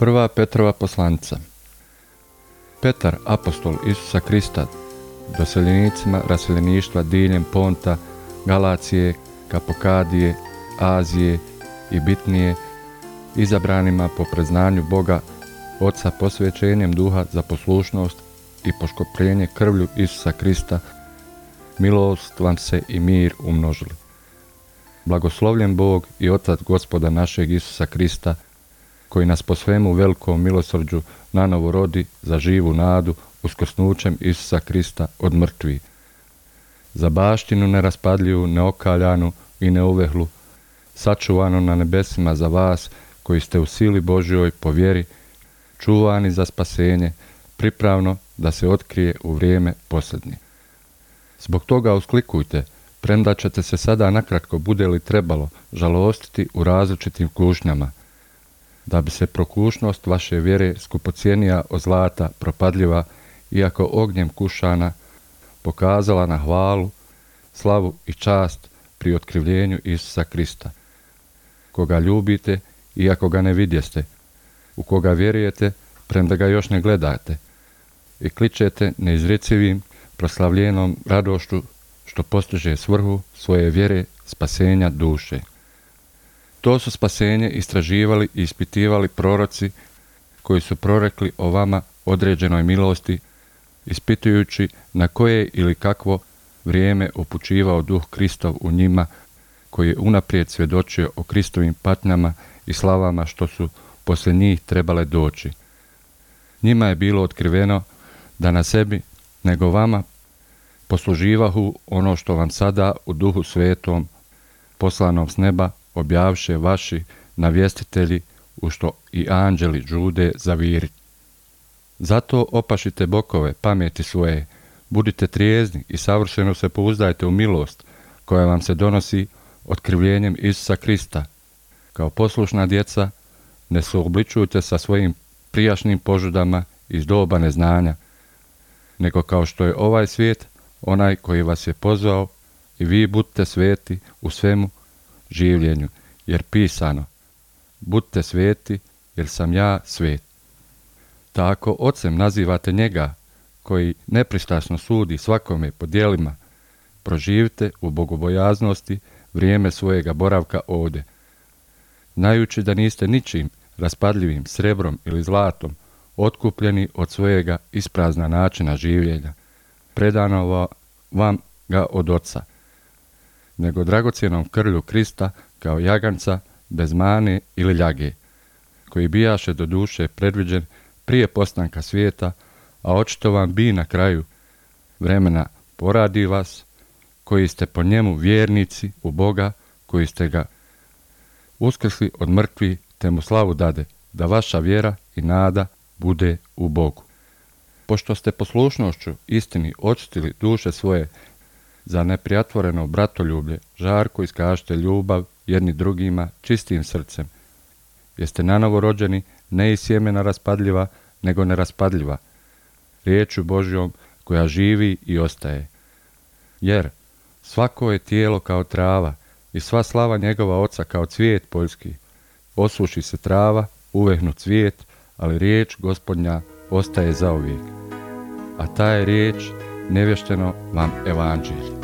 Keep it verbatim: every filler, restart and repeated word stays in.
Prva Petrova poslanica. Petar, apostol Isusa Krista, doseljenicima raseljeništva diljem Ponta, Galacije, Kapokadije, Azije i Bitnije, izabranima po priznanju Boga Oca posvećenjem duha za poslušnost i poškopljenje krvlju Isusa Krista, milost vam se i mir umnožili. Blagoslovljen Bog i Otac Gospoda našeg Isusa Krista, koji nas po svemu velikom milosrđu nanovo rodi za živu nadu uskrsnućem Isusa Krista od mrtvih, za baštinu neraspadljivu, neokaljanu i neuvehlu, sačuvano na nebesima za vas koji ste u sili Božjoj po vjeri, čuvani za spasenje, pripravno da se otkrije u vrijeme posljednje. Zbog toga usklikujte, premda ćete se sada nakratko bude li trebalo žalostiti u različitim kušnjama, da bi se prokušnost vaše vjere skupocijenija od zlata propadljiva, iako ognjem kušana, pokazala na hvalu, slavu i čast pri otkrivljenju Isusa Krista, koga ljubite iako ga ne vidjeste, u koga vjerujete premda ga još ne gledate, i kličete neizrecivim proslavljenom radošću što postiže svrhu svoje vjere spasenja duše. To su spasenje istraživali i ispitivali proroci koji su prorekli o vama određenoj milosti, ispitujući na koje ili kakvo vrijeme upućivao duh Kristov u njima, koji je unaprijed svjedočio o Kristovim patnjama i slavama što su poslije njih trebale doći. Njima je bilo otkriveno da na sebi, nego vama, posluživahu ono što vam sada u duhu svetom, poslanom s neba, objavše vaši navjestitelji, u što i anđeli žude zaviri. Zato opašite bokove pameti svoje, budite trijezni i savršeno se pouzdajte u milost koja vam se donosi otkrivljenjem Isusa Krista. Kao poslušna djeca, ne suobličujte sa svojim prijašnjim požudama iz doba neznanja, nego kao što je ovaj svijet, onaj koji vas je pozvao, i vi budite sveti u svemu življenju, jer pisano, budite sveti, jer sam ja svet. Tako ocem nazivate njega, koji nepristrasno sudi svakome po djelima, proživite u bogobojaznosti vrijeme svojega boravka ovdje, znajući da niste ničim raspadljivim srebrom ili zlatom otkupljeni od svojega isprazna načina življenja, predano vam ga od Oca, nego dragocjenom krvlju Krista kao jaganca bez mane ili ljage, koji bijaše do duše predviđen prije postanka svijeta, a očito vam bi na kraju vremena poradi vas, koji ste po njemu vjernici u Boga, koji ste ga uskrsli od mrtvih, te mu slavu dade, da vaša vjera i nada bude u Bogu. Pošto ste poslušnošću istini očistili duše svoje za neprijatvoreno bratoljublje, žarko iskažite ljubav jedni drugima čistim srcem. Jeste nanovo rođeni ne iz sjemena raspadljiva, nego neraspadljiva, riječju Božjom koja živi i ostaje. Jer svako je tijelo kao trava i sva slava njegova Oca kao cvijet poljski. Osuši se trava, uvehnu cvijet, ali riječ Gospodnja ostaje zauvijek. A ta je riječ nevješteno vam evanđelje.